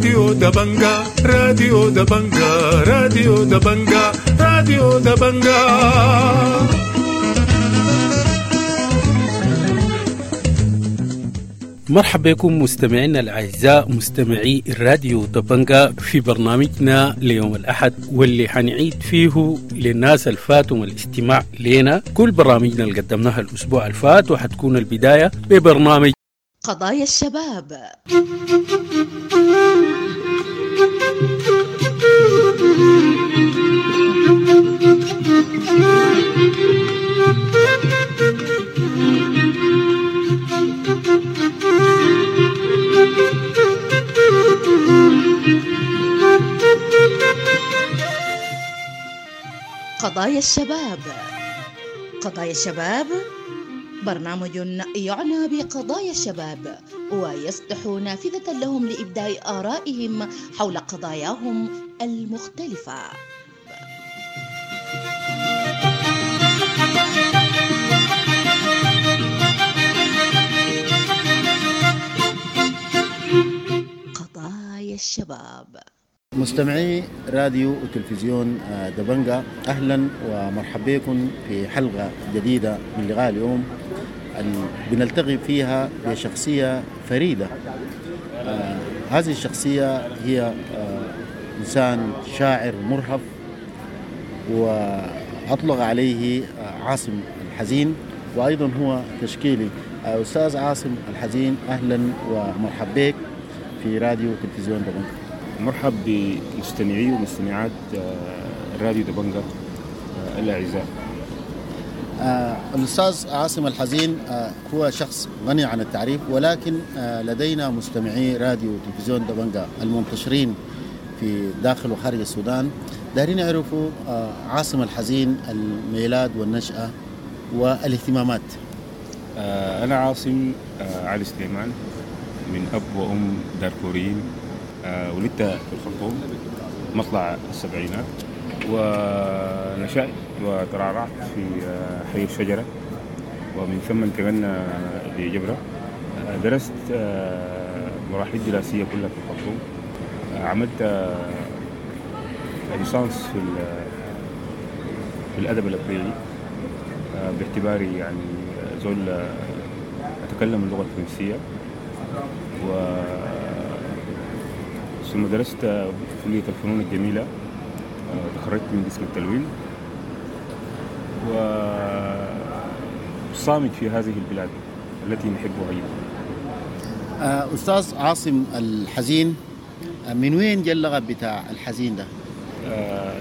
راديو دبنجا، راديو دبنجا، راديو دبنجا، راديو دبنجا. مرحبا بكم مستمعينا الأعزاء مستمعي الراديو دبنجا في برنامجنا ليوم الأحد، واللي حنعيد فيه للناس الفاتهم الاستماع لنا كل برامجنا اللي قدمناها الأسبوع الفات، وحتكون البداية ببرنامج قضايا الشباب. قضايا الشباب، قضايا الشباب برنامج يعنى بقضايا الشباب ويفتح نافذة لهم لإبداء آرائهم حول قضاياهم المختلفة. قضايا الشباب. مستمعي راديو وتلفزيون دبنجا، أهلا ومرحبا بكم في حلقة جديدة من لقاء اليوم بنلتقي فيها بشخصية فريدة. هذه الشخصية هي إنسان شاعر مرهف، وأطلق عليه عاصم الحزين، وأيضا هو تشكيلي. أستاذ عاصم الحزين، أهلا ومرحبا بك في راديو وتلفزيون دبنجا. مرحب بمستمعي ومستمعات راديو دبنجا الأعزاء. الأستاذ عاصم الحزين هو شخص غني عن التعريف، ولكن لدينا مستمعي راديو وتلفزيون دبنجا المنتشرين في داخل وخارج السودان دارين يعرفوا عاصم الحزين، الميلاد والنشأة والاهتمامات. أنا عاصم علي سليمان، من أب وأم دارفوريين. ولدت في الخرطوم مطلع السبعينات، ونشأت وترعرعت في حي الشجرة، ومن ثم انتقلنا لجبرة. درست مراحل دراسية كلها في الخرطوم. عملت ليسانس في الأدب الأفريقي باعتباري يعني زول أتكلم اللغة الفرنسية، و ثم درست كلية الفنون الجميلة، تخرجت من قسم التلوين، وصامت في هذه البلاد التي نحبها جدا. أستاذ عاصم الحزين، من وين جاء اللقب بتاع الحزين ده؟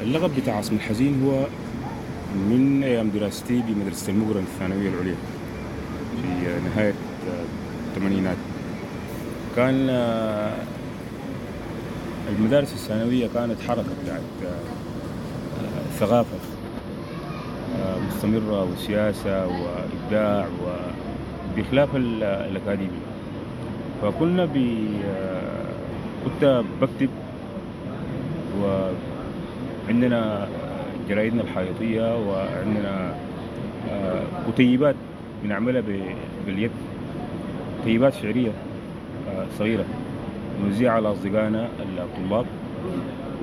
اللقب بتاع عاصم الحزين هو من أيام دراستي بمدرسة المقرن الثانوية العليا في نهاية الثمانينات. كان المدارس الثانوية كانت حركة بتاعت ثقافة مستمرة وسياسة وإبداع، وبخلاف الأكاديمي. فكنا كنت بكتب، وعندنا جرايدنا الحائطية، وعندنا كتيبات بنعملها باليد، كتيبات شعرية صغيرة نوزعها على أصدقائنا الطلاب،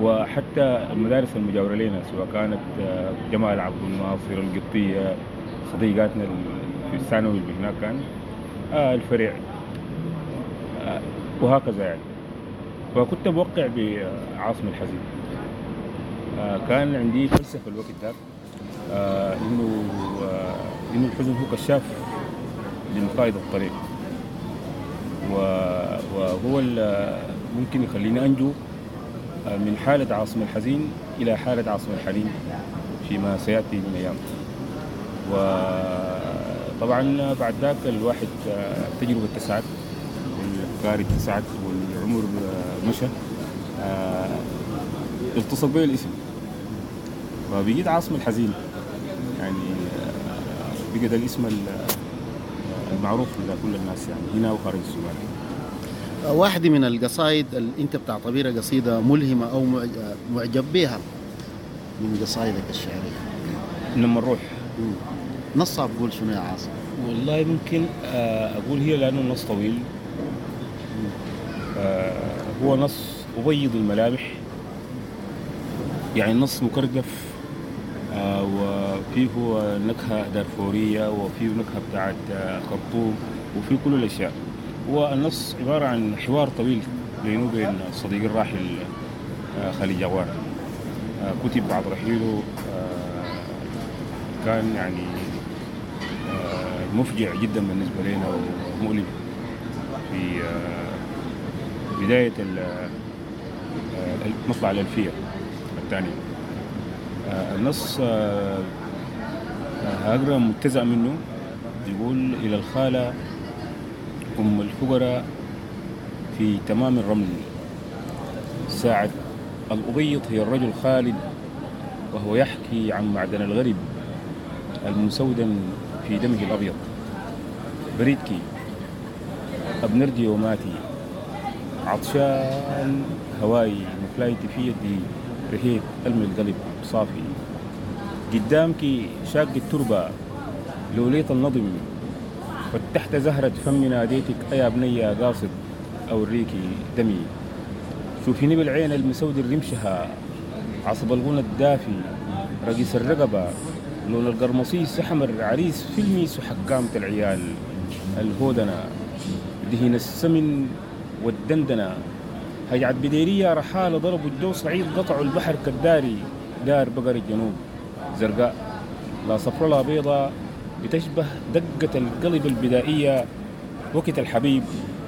وحتى المدارس المجاورة لنا، سواء كانت جمال عبد الناصر، القبطية، صديقاتنا في الثانوي اللي هناك كان الفرع، وهكذا يعني. فكنت بوقع بعاصم الحزين. كان عندي فلسفة الوقت ذاك، إنه الحزن هو كشاف لمقايض الطريق، وهو ممكن يخليني أنجو من حالة عاصم الحزين إلى حالة عاصم الحنين فيما سيأتي من أيام. وطبعا بعد ذاك الواحد التجربة اتسعت، والأفكار اتسعت، والعمر مشى، التصق بي الاسم فبقيت عاصم الحزين. يعني بقى ده الاسم المعروف لدى كل الناس يعني هنا وخارج السودان. واحدة من القصائد اللي انت بتعتبرها قصيدة ملهمة او معجب بها من قصائدك الشعرية؟ لما نروح نصها بقول شنو يا عاصم؟ والله ممكن اقول هي لانه النص طويل. هو نص أبيض الملامح. يعني النص مكردف، وفيه نكهة دارفورية، وفيه نكهة بتاعت خرطوم، وفيه كل الأشياء. والنص عبارة عن حوار طويل بينه وبين صديقي الراحل خليل جوار، كتب بعد رحيله، كان يعني مفجع جدا بالنسبة لنا ومؤلم في بداية مطلع الألفية الثانية. النص هقرأ مجتزأ منه، يقول: إلى الخالة أم الفقراء في تمام الرمل، ساعة الأبيض هي الرجل خالد وهو يحكي عن معدن الغرب المسودا في دمه الأبيض. بريدكي أبنرجي وماتي عطشان هواي مفلايتي في يدي رهيت ألم القلب صافي، قدامك شاق التربة لوليت النظم، فتحت زهرة فمي ناديتك أيا بني قاصد أوريكي دمي، شوفيني بالعين المسود الرمشها عصب الغنى الدافي رقيس الرقبة لون القرمصيس أحمر عريس في الميس وحكامة العيال الهودنة دهين السمن والدندنة هجعت بديرية رحالة ضربوا الجو صعيد قطعوا البحر كالداري دار بقر الجنوب زرقاء لا صفر لا بيضة بتشبه دقة القلب البدائية وقت الحبيب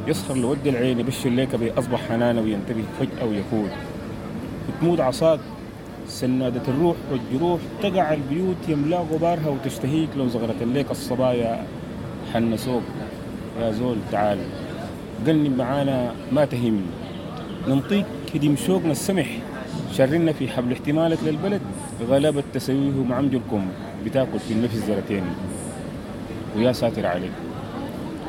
يسخر لود العين يبشر ليك بأصبح حنانة وينتبه فجأة ويفوت وتموت عصاك سنادة الروح والجروح تقع البيوت يملا غبارها وتشتهيك لو زغرت ليك الصبايا حنسوك يا زول تعال قلني معانا ما تهم ننطيك هديم شوقنا السمح شرنا في حبل احتمالك للبلد غلبة تسويه مع عمجلكم بتاكل في النفس زرتين ويا ساتر عليك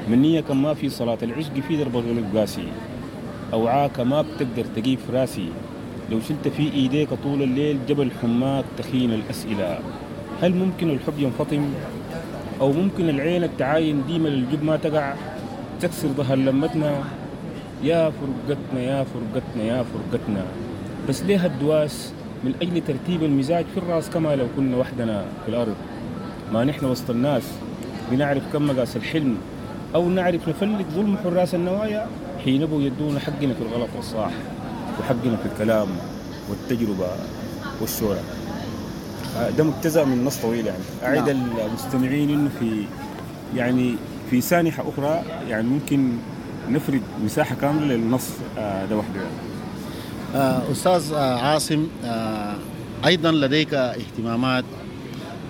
منية كم ما في صلاة العشق في درب الغلب قاسي أوعاك ما بتقدر تجيب راسي لو شلت في إيديك طول الليل جبل حماك تخين الأسئلة هل ممكن الحب ينفطم أو ممكن العين التعاين ديما للجب ما تقع تكسر ظهر لمتنا يا فرقتنا يا فرقتنا يا فرقتنا بس ليه الدواس من أجل ترتيب المزاج في الراس كما لو كنا وحدنا في الأرض ما نحن وسط الناس بنعرف كم مقاس الحلم أو نعرف نفلت ظلم حراس النوايا حين بوا يدونا حقنا في الغلط والصح وحقنا في الكلام والتجربة والشورى. ده مجتزأ من نص طويل يعني أعد المستمعين إنه في يعني في سانحة أخرى يعني ممكن نفرد مساحة كاملة للنص ده وحده يعني. أستاذ عاصم، أيضا لديك اهتمامات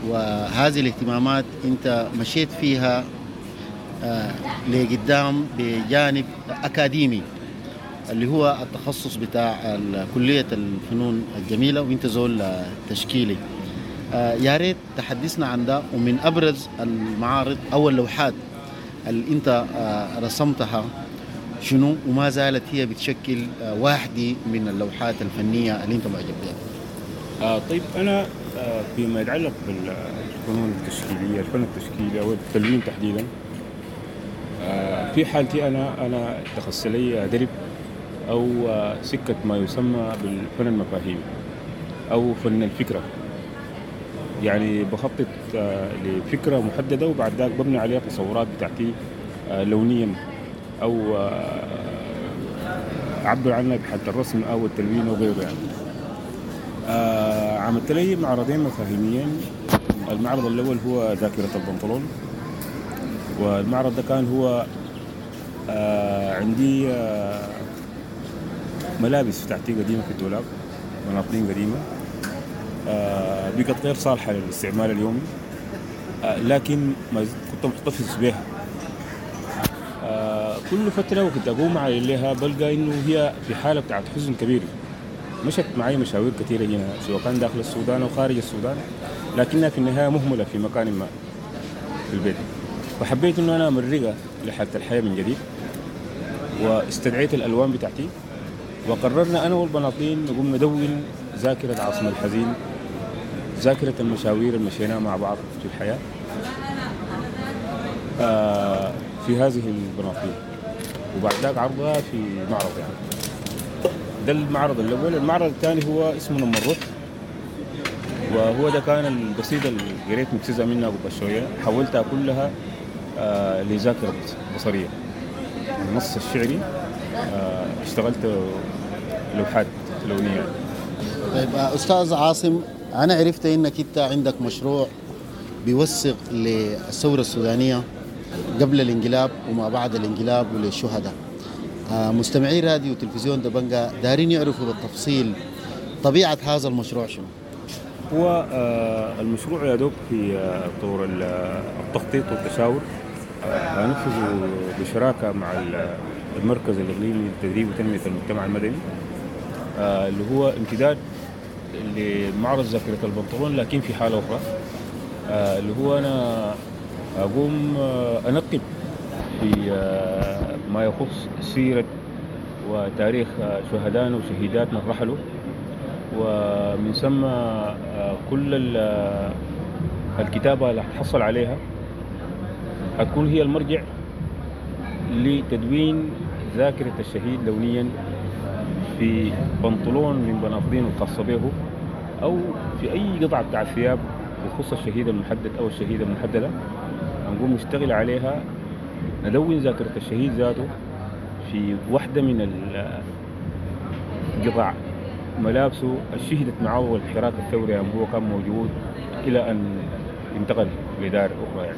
وهذه الاهتمامات أنت مشيت فيها لقدام بجانب أكاديمي اللي هو التخصص بتاع كلية الفنون الجميلة وانت زول تشكيلي. يا ريت تحدثنا عن ده ومن أبرز المعارض أو اللوحات اللي انت رسمتها شنو وما زالت هي بتشكل واحدة من اللوحات الفنية اللي انت معجب بها. طيب أنا فيما يتعلق بالفنون التشكيلية، الفن التشكيلي أو التلوين تحديدا، في حالتي أنا اتخذت لي درب أو سكة ما يسمى بالفن المفاهيمي أو فن الفكرة. يعني بخطط لفكرة محددة وبعد ذاك ببني عليها تصورات بتاعتي لونيا أو أعبر عنها بحالة الرسم أو التلوين وغيره يعني. عملت لي معرضين مفاهيميين. المعرض الأول هو ذاكرة البنطلون، والمعرض ده كان هو عندي ملابس بتاعتي قديمة في الدولاب، بناطيل قديمة بقت غير صالحة للاستعمال اليومي، لكن ما كنت محتفظ بها. كل فترة وكنت أقوم عليها بلقى إنه هي في حالة بتاعت حزن كبير. مشت معي مشاوير كثيرة هنا سواء كان داخل السودان أو خارج السودان، لكنها في النهاية مهملة في مكان ما في البيت. فحبيت إنه أنا أمرقها لحالة الحياة من جديد، واستدعيت الألوان بتاعتي وقررنا أنا والبناطيل نقوم ندون ذاكرة عاصم الحزين، ذاكرة المشاوير اللي مشيناها مع بعض في الحياة في هذه البناطيل، وبعد ذاك عرضها في معرض يعني. ده المعرض الأول. المعرض الثاني هو اسمه نم الروح، وهو ده كان القصيدة اللي قريت مجتزأة منها قبل شوية، حولتها كلها لذاكرة بصرية. النص الشعري اشتغلت لوحات لونية. طيب أستاذ عاصم، أنا عرفت إنك أنت عندك مشروع بيوثق للثورة السودانية قبل الانقلاب وما بعد الانقلاب وللشهداء. مستمعي راديو وتلفزيون دبنجا دارين يعرفوا بالتفصيل طبيعة هذا المشروع شنو؟ هو المشروع يا دوب في طور التخطيط والتشاور، هننفذه بشراكة مع المركز الإقليمي للتدريب وتنمية المجتمع المدني، اللي هو امتداد لمعرض ذاكرة البنطلون لكن في حالة أخرى، اللي هو أنا أقوم أنقب في ما يخص سيرة وتاريخ شهدائنا وشهيداتنا الرحلوا، ومن ثم كل الكتابة اللي حتحصل عليها هتكون هي المرجع لتدوين ذاكرة الشهيد لونيا في بنطلون من بناطلين الخاصة به أو في أي قطعة بتاع الثياب بخصوص الشهيد المحدد أو الشهيدة المحددة. هنقوم نشتغل عليها، ندون ذاكرة الشهيد ذاته في واحدة من القطع ملابسه الشهدت معه الحراك الثوري هو كان موجود إلى أن انتقل لدار أخرى. يعني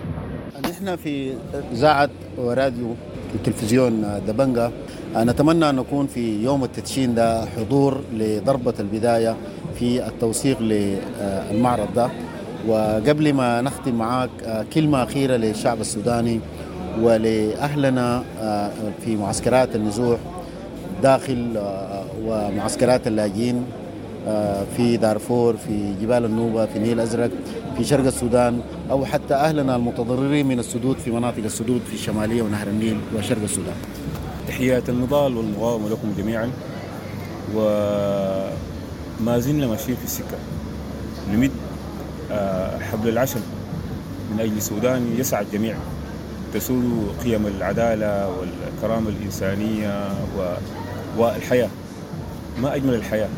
نحن في إذاعة وراديو التلفزيون دبنجا نتمنى أن نكون في يوم التدشين ده حضور لضربة البداية في التوثيق للمعرض ده. وقبل ما نختم معاك كلمة أخيرة للشعب السوداني ولأهلنا في معسكرات النزوح داخل ومعسكرات اللاجئين في دارفور، في جبال النوبة، في النيل الأزرق، في شرق السودان، أو حتى أهلنا المتضررين من السدود في مناطق السدود في الشمالية ونهر النيل وشرق السودان. تحيات النضال والمقاومة لكم جميعا، وما زلنا ماشيين في السكة نمد حبل العشم من أجل سودان يسعى الجميع، تسود قيم العدالة والكرامة الإنسانية والحياة. ما أجمل الحياة،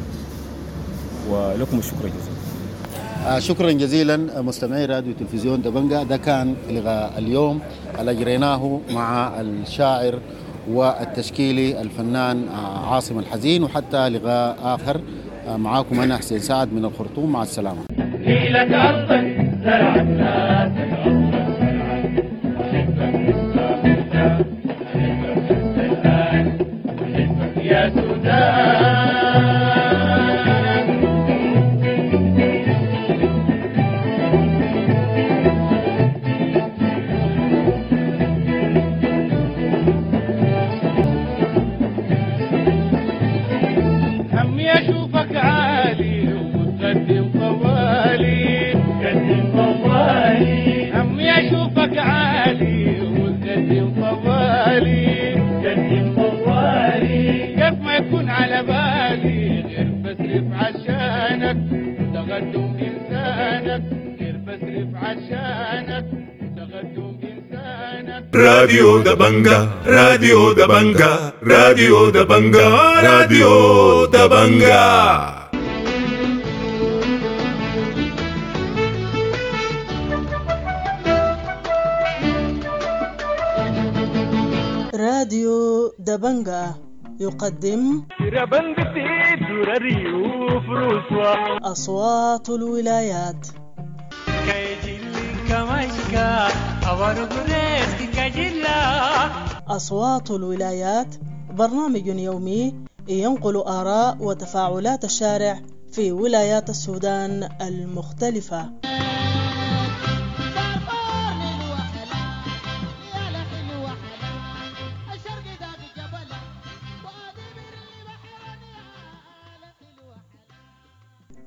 ولكم الشكر جزيلا. شكرا جزيلا مستمعي راديو تلفزيون دبنجا. ده كان لقاء اليوم اللي أجريناه مع الشاعر والتشكيلي الفنان عاصم الحزين، وحتى لقاء آخر معاكم أنا حسين سعد من الخرطوم. مع السلامة. يا سودان. همي اشوفك عالي وتقدم طوالي، تقدم طوالي. همي اشوفك عالي وتقدم طوالي، تقدم طوالي. كيف ما يكون على بالي غير بصرف عشانك تقدم انسانك، غير بصرف عشانك تقدم انسانك. راديو دبنجا، راديو دبنجا، راديو دبنجا، راديو دبنجا. راديو دبنجا يقدم أصوات الولايات. أصوات الولايات برنامج يومي ينقل آراء وتفاعلات الشارع في ولايات السودان المختلفة.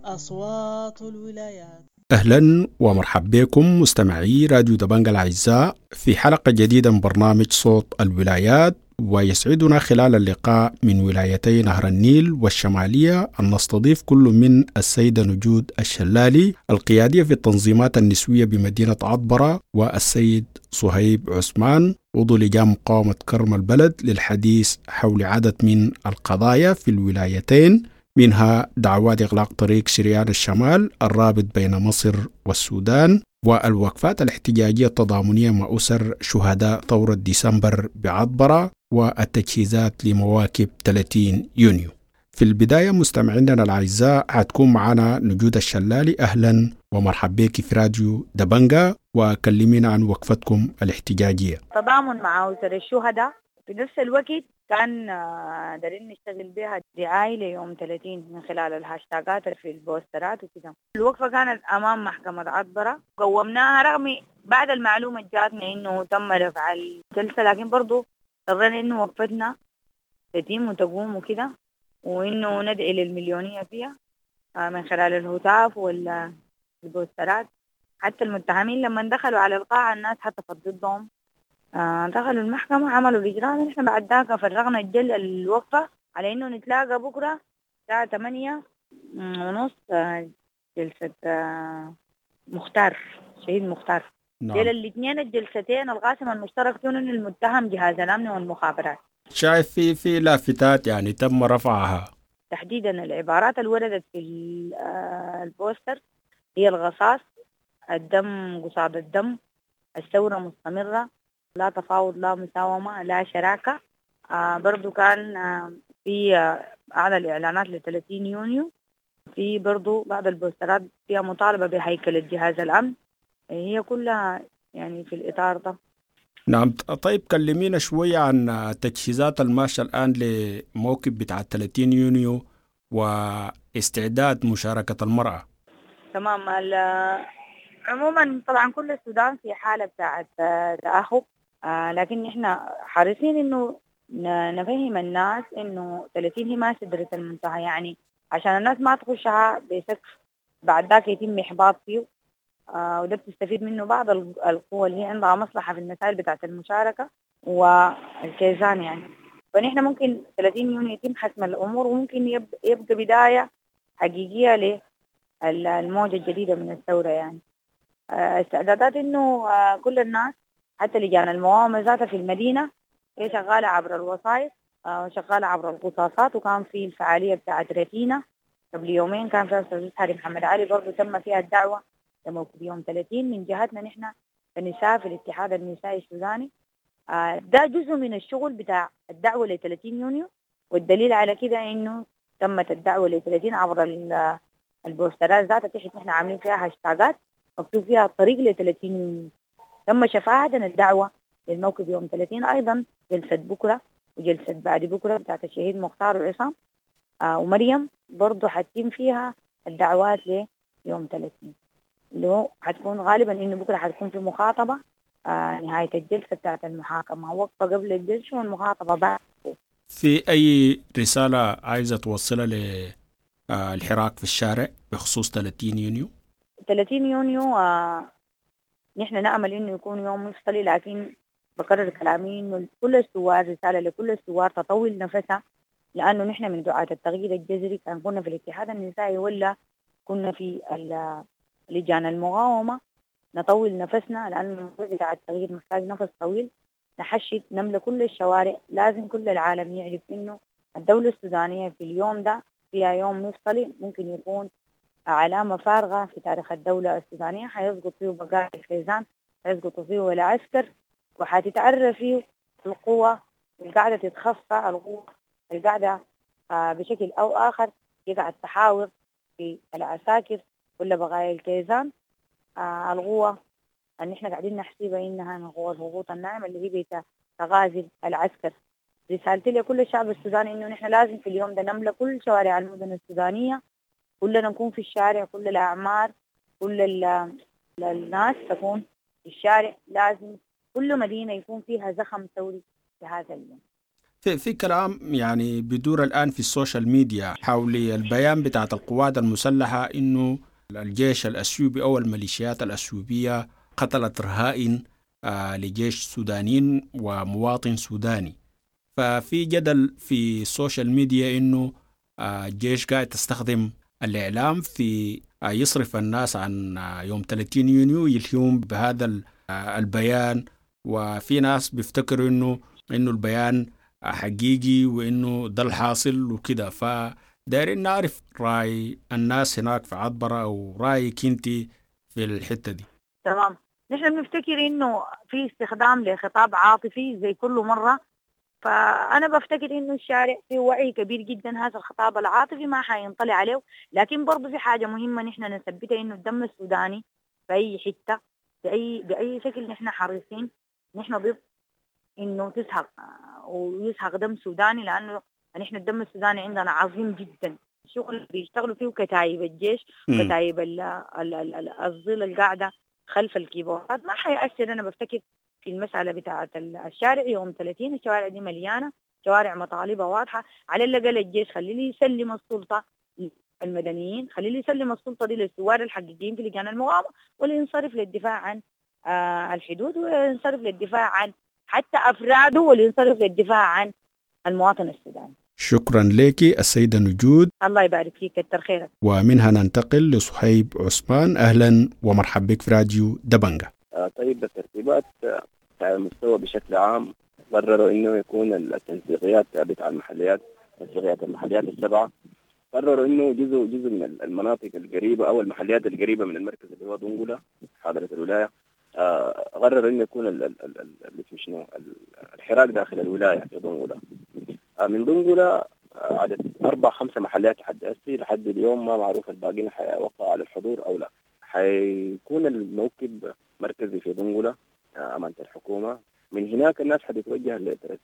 أصوات الولايات. أهلا ومرحبا بكم مستمعي راديو دبنجا الأعزاء في حلقة جديدة من برنامج صوت الولايات، ويسعدنا خلال اللقاء من ولايتي نهر النيل والشمالية أن نستضيف كل من السيدة نجود الشلالي القيادية في التنظيمات النسوية بمدينة عطبرة، والسيد صهيب عثمان عضو لجان مقاومة كرم البلد، للحديث حول عدد من القضايا في الولايتين، منها دعوات إغلاق طريق شريان الشمال الرابط بين مصر والسودان، والوقفات الاحتجاجية التضامنية مع أسر شهداء ثورة ديسمبر بعطبرة، والتجهيزات لمواكب 30 يونيو. في البداية مستمعينا الأعزاء حتكون معنا نجود الشلالي. أهلا ومرحبا بك في راديو دبنجا، وكلمينا عن وقفتكم الاحتجاجية. تضامن مع أسر الشهداء، في نفس الوقت كان دارين نشتغل بها دعاية ليوم 30 من خلال الهاشتاجات في البوسترات وكده. الوقفة كانت أمام محكمة عطبرة، قومناها رغم بعد المعلومة جاتنا إنه تم رفع الجلسة، لكن برضو اضطرينا إنه وقفتنا تتم وتقوم وكده، وإنه ندعي للمليونية فيها من خلال الهتاف والبوسترات. حتى المتهمين لما دخلوا على القاعة الناس هتفت ضدهم، دخلوا المحكمة عملوا الإجراء. نحن بعد ذاك فرغنا الوقفة على إنه نتلاقى بكرة الساعة 8:30 جلسة مختار، شهيد مختار. نعم. الاثنين الجلستين القاسم المشترك فيهم إنه المتهم جهاز الأمن والمخابرات. شايف في لافتات يعني تم رفعها، تحديدا العبارات اللي وردت في البوستر هي الغصاص، الدم قصاد الدم، الثورة مستمرة، لا تفاوض، لا مساومة، لا شراكة. برضو كان في أعلى الإعلانات ل 30 يونيو، في برضو بعض البوسترات فيها مطالبة بهيكلة جهاز الأمن، هي كلها يعني في الإطار ده. نعم. طيب كلمينا شوية عن التجهيزات الماشية الآن لموكب بتاع 30 يونيو واستعداد مشاركة المرأة. تمام. عموما طبعا كل السودان في حالة بتاعت تأهب، لكن احنا حريصين انه نفهم الناس انه 30 هي ما سدرة المنتهى، يعني عشان الناس ما تخشها بسقف بعد ذاك يتم احباط فيه، وده بتستفيد منه بعض القوى اللي هي عندها مصلحة في المسائل بتاعت المشاركة والكيزان يعني. فنحن ممكن 30 يونيو يتم حسم الأمور، وممكن يبقى بداية حقيقية للموجة الجديدة من الثورة يعني. استعدادات انه كل الناس حتى لجان المقاومة ذاتها في المدينة هي شغالة عبر الوسائط وشغالة عبر القصاصات، وكان في الفعالية بتاعت رتينة قبل يومين كان فيها أستاذ حاري محمد علي برضو تم فيها الدعوة لموكب يوم 30 من جهتنا نحن كنساء في الاتحاد النسائي السوداني. ده جزء من الشغل بتاع الدعوة ل 30 يونيو، والدليل على كده انه تمت الدعوة ل 30 عبر البوسترات ذاتها تحت نحن عاملين فيها هاشتاجات مكتوب فيها الطريق ل 30 يونيو. تم شفاعة الدعوة للموكب يوم 30، أيضا جلسة بكرة وجلسة بعد بكرة بتاعت الشهيد مختار وعصام ومريم برضو حتتم فيها الدعوات ليوم 30، اللي هو حتكون غالبا إنه بكرة حتكون في مخاطبة نهاية الجلسة بتاعت المحاكمة، وقفة قبل الجلسة والمخاطبة بعد. في أي رسالة عايزة توصلها للحراك في الشارع بخصوص 30 يونيو؟ 30 يونيو نحن نأمل إنه يكون يوم مفصلي، لكن بكرر كلامي إنه كل الثوار، رسالة لكل الثوار تطول نفسها، لأنه نحن من دعاة التغيير الجذري، كان كنا في الاتحاد النسائي ولا كنا في لجان المقاومة، نطول نفسنا لأنه الموضوع بتاع التغيير محتاج نفس طويل. نحشد، نملى كل الشوارع، لازم كل العالم يعرف إنه الدولة السودانية في اليوم ده فيها يوم مفصلي ممكن يكون علامة فارغة في تاريخ الدولة السودانية، حيسقط فيه بقايا الخزان، حيسقط فيه العسكر، وحتتعرى فيه القوة القاعدة تتخفى، القوة القاعدة بشكل أو آخر يقعد تحاور في العساكر ولا بقايا الكيزان. القوة اللي احنا قاعدين نحسبها إنها من قوة الهبوط الناعم اللي هي بتغازل العسكر. رسالتي لكل الشعب السوداني إنه نحن لازم في اليوم ده نملى كل شوارع المدن السودانية، كلنا نكون في الشارع، كل الأعمار، كل الناس تكون في الشارع، لازم كل مدينة يكون فيها زخم ثوري في هذا اليوم. في كلام يعني بدور الآن في ال social media حول البيان بتاعت القوات المسلحة إنه الجيش الأثيوبي أو الميليشيات الأثيوبية قتلت رهائن لجيش سودانيين ومواطن سوداني. ففي جدل في ال social media إنه الجيش قاعد تستخدم الإعلام في يصرف الناس عن يوم 30 يونيو، يلهيهم بهذا البيان. وفي ناس بيفتكروا إنه البيان حقيقي وإنه ده الحاصل وكده. فدايرين نعرف رأي الناس هناك في عطبرة أو رأيك أنت في الحتة دي. تمام. نحن بنفتكر إنه في استخدام لخطاب عاطفي زي كل مرة، فأنا بفتكر إنه الشارع فيه وعي كبير جدا، هذا الخطاب العاطفي ما حينطلع عليه. لكن برضه في حاجة مهمة نحن نثبتها، إنه الدم السوداني في أي حتة بأي شكل نحن حريصين، نحن ضد إنه تسحق ويسحق دم سوداني، لأنه نحن الدم السوداني عندنا عظيم جدا. الشغل بيشتغلوا فيه كتايب الجيش، كتايب الظل القاعدة خلف الكيبوردات ما حيأثر. أنا بفتكر في المسألة بتاعة الشارع يوم 30، الشوارع دي مليانة، شوارع مطالبها واضحة. على الأقل الجيش خليه يسلم السلطة المدنيين، خليه يسلم السلطة دي للثوار الحقيقيين في لجان المقاومة، والينصرف للدفاع عن الحدود، وينصرف للدفاع عن حتى أفراده، والينصرف للدفاع عن المواطن السوداني. شكرا لك السيدة نجود. الله يبارك فيك، كتر خيرك. ومنها ننتقل لصهيب عثمان. أهلا ومرحبا بك في راديو دبنجة. طيب، الترتيبات على المستوى بشكل عام قرروا انه يكون التنسيقيات بتاع المحليات، تنسيقيات المحليات السبعة، قرروا انه جزء من المناطق القريبة او المحليات القريبة من المركز اللي هو دنقلة حاضرة الولاية، قرروا انه يكون الحراك داخل الولاية في دنقلة. من دنقلة عدد 4-5 محليات لحد هسي، لحد اليوم ما معروف الباقيين حيوقعوا على الحضور او لا. حيكون الموكب مركزي في دنقلة أمانة الحكومة. من هناك الناس حتتوجه لترس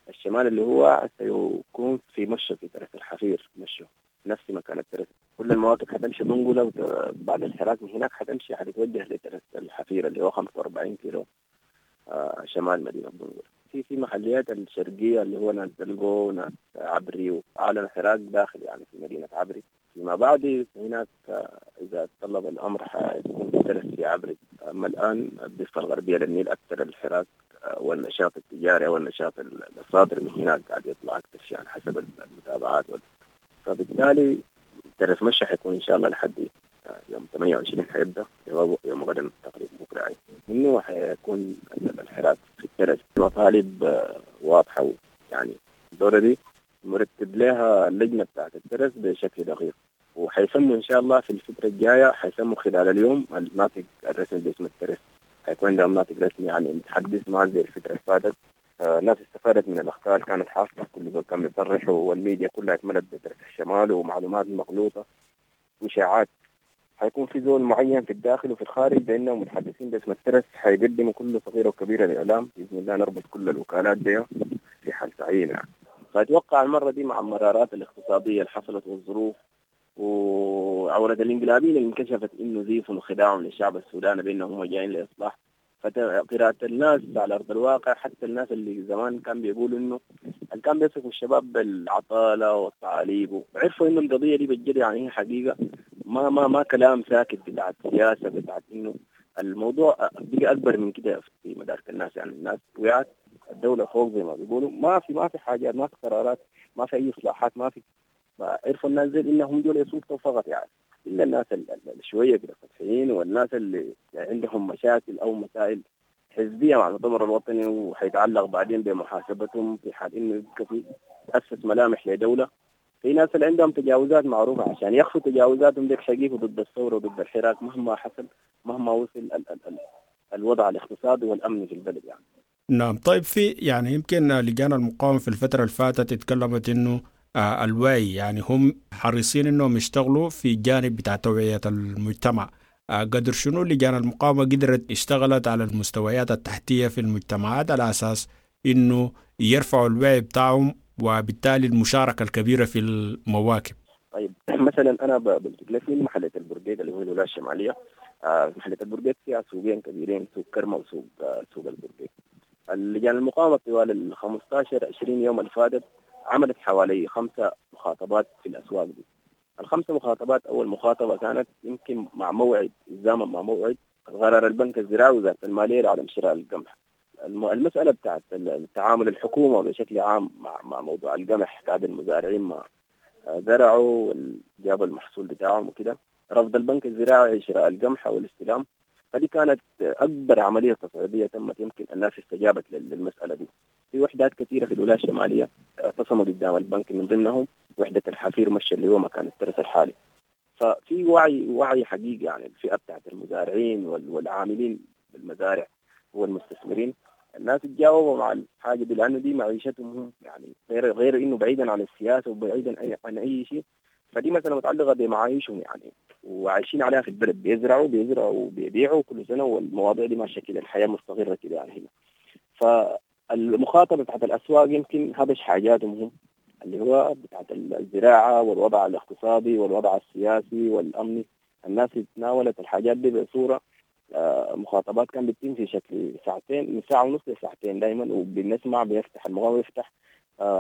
الشمال اللي هو سيكون في مشو، في ترس الحفير مشو، نفس مكان الترس. كل المواقف حتمشي دنقلة، وبعد الحراك من هناك حتمشي حتتوجه لترس الحفير اللي هو 45 كيلو شمال مدينة دنقلة. في محليات الشرقية اللي هو ناس دلقو وناس عبري، وأعلن حراك داخل يعني في مدينة عبري. فيما بعد هناك إذا تطلب الأمر حيكون ترس في عبري. أما الآن الضفة الغربية للنيل أكثر الحراك والنشاط التجاري والنشاط الصادر من هناك قاعد يطلع أكثر شيء على حسب المتابعات فبالتالي ترس مشى حيكون إن شاء الله لحد يوم 28 حيبدأ، يوم غدا تقريبا بكرة منه حيكون الحراك في الترس. مطالب واضحة، يعني الدورة دي مرتب لها اللجنة بتاعت الترس بشكل دقيق، وحيسموا إن شاء الله في الفترة الجاية، حيسموا خلال اليوم الناطق الرسمي باسم الترس. حيكون عندهم ناطق رسمي يعني متحدث، ما زي الفترة اللي فاتت. الناس استفادت من الأخطاء اللي كانت حاصلة، كل زول كان بيصرح، والميديا كلها اتملت بترس الشمال ومعلومات مغلوطة وإشاعات. حيكون في زول معين في الداخل وفي الخارج بأنهم متحدثين باسم الترس، حيقدموا كل صغيرة وكبيرة للإعلام بإذن الله. نربط كل الوكالات دي في حال تعيين يعني. فأتوقع المرة دي مع المرارات الاقتصادية اللي حصلت والظروف وعورة الانقلابيين اللي انكشفت إنه زيف وخداعهم للشعب السوداني بأنهم هم جايين لإصلاح، فقراءة الناس على أرض الواقع، حتى الناس اللي زمان كان بيقولوا إنه كان بيصفوا الشباب بالعطالة والتعاليب، وعرفوا إنه القضية دي بالجد يعني هي حقيقة، ما ما ما كلام ساكت بتاعت سياسة، بتاعت إنه الموضوع بقى أكبر من كده في مدارك الناس. يعني الناس وقعت الدولة فوق زي ما بيقولوا، ما في حاجات، ما في قرارات، ما في أي إصلاحات، ما في. عرفوا الناس زي إنهم دول يسلطوا فقط يعني، إلا الناس اللي شوية كده سطحيين والناس اللي عندهم مشاكل أو مسائل حزبية مع المؤتمر الوطني، وحيتعلق بعدين بمحاسبتهم في حال إنه يبقى في تأسس ملامح لدولة. في ناس اللي عندهم تجاوزات معروفة، عشان يخفوا تجاوزاتهم ديك حقيقة ضد الثورة وضد الحراك مهما حصل، مهما وصل ال ال ال الوضع الاقتصادي والأمني في البلد يعني. نعم. طيب، في يعني يمكن لجان المقاومة في الفترة اللي فاتت اتكلمت إنه الوعي، يعني هم حريصين إنهم يشتغلوا في جانب بتاع توعية المجتمع. قدر شنو لجان المقاومة قدرت اشتغلت على المستويات التحتية في المجتمعات على أساس إنه يرفعوا الوعي بتاعهم وبالتالي المشاركة الكبيرة في المواكب؟ طيب، مثلا أنا بقول في محلة البرقيق اللي هو الولاية الشمالية. محلة البرقيق فيها سوقين كبيرين، سوق كرمة وسوق سوق البرقيق. اللجان المقاومة طوال ال 15-20 يوم اللي فاتت عملت حوالي 5 مخاطبات في الأسواق دي. ال5 مخاطبات، أول مخاطبة كانت يمكن مع موعد، الزامن مع موعد قرار البنك الزراعي وزارة المالية لعدم شراء القمح. المسألة بتاعت التعامل الحكومة بشكل عام مع موضوع القمح، بعد المزارعين ما زرعوا وجابوا المحصول بتاعهم وكده، رفض البنك الزراعي شراء القمح أو الاستلام، فدي كانت أكبر عملية تصعيدية تمت. يمكن الناس استجابت للمسألة دي. في وحدات كثيرة في الولاية الشمالية اعتصموا قدام البنك، من ضمنهم وحدة الحفير مشى اللي هو مكان الترس الحالي. ففي وعي حقيقي يعني الفئة بتاعت المزارعين والعاملين بالمزارع والمستثمرين، الناس تجاوبوا مع الحاجة دي لأنه دي معيشتهم هم، يعني غير إنه بعيدا عن السياسة وبعيدا عن أي شيء، فدي مثلا متعلقة بمعايشهم يعني، وعايشين عليها في البلد، بيزرعوا وبيبيعوا كل سنة، والمواضيع دي ماشية كده، الحياة مستقرة كده يعني هنا. فالمخاطبة بتاعت الأسواق يمكن هبش حاجاتهم هم، اللي هو بتاعت الزراعة والوضع الاقتصادي والوضع السياسي والأمني. الناس تناولت الحاجات دي بصورة مخاطبات كان بتتم في شكل ساعتين، من ساعة ونص لساعتين دايما، وبنسمع بيفتح المقاومة يفتح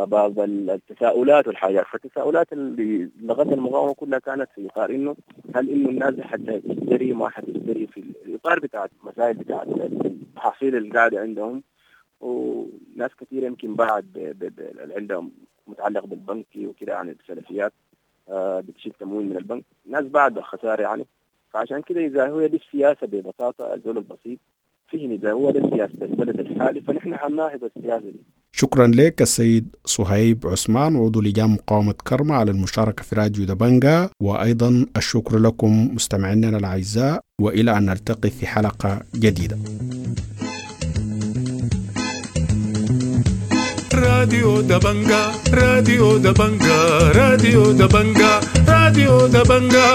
بعض التساؤلات والحاجات. فالتساؤلات اللي لغت المقاومة كلها كانت في إطار إنه هل إنه الناس حتى تشتري ما حتشتري، في الإطار بتاع المسائل بتاع المحاصيل اللي قاعدة عندهم. وناس كثيرة يمكن بعد اللي عندهم متعلق بالبنك وكده، يعني السلفيات بتشيل تمويل من البنك، ناس بعد الخسارة يعني. فعشان كده إذا هو دي السياسة ببساطة، الزول البسيط فهم إذا هو ده سياسة البلد الحالي فنحن حنناهض السياسة دي. شكرا لك السيد صهيب عثمان عضو لجان مقاومة كرمة على المشاركة في راديو دبنجا، وأيضا الشكر لكم مستمعينا الأعزاء، وإلى أن نلتقي في حلقة جديدة. راديو دبنجا، راديو دبنجا، راديو دبنجا، راديو دبنجا.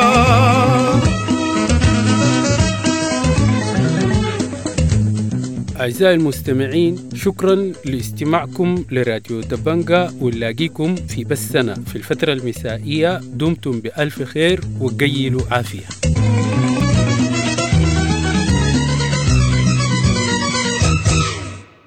أعزائي المستمعين، شكرا لاستماعكم لراديو دبنجا، ونلاقيكم في بثنا في الفترة المسائية. دمتم بألف خير وقيلوا عافية.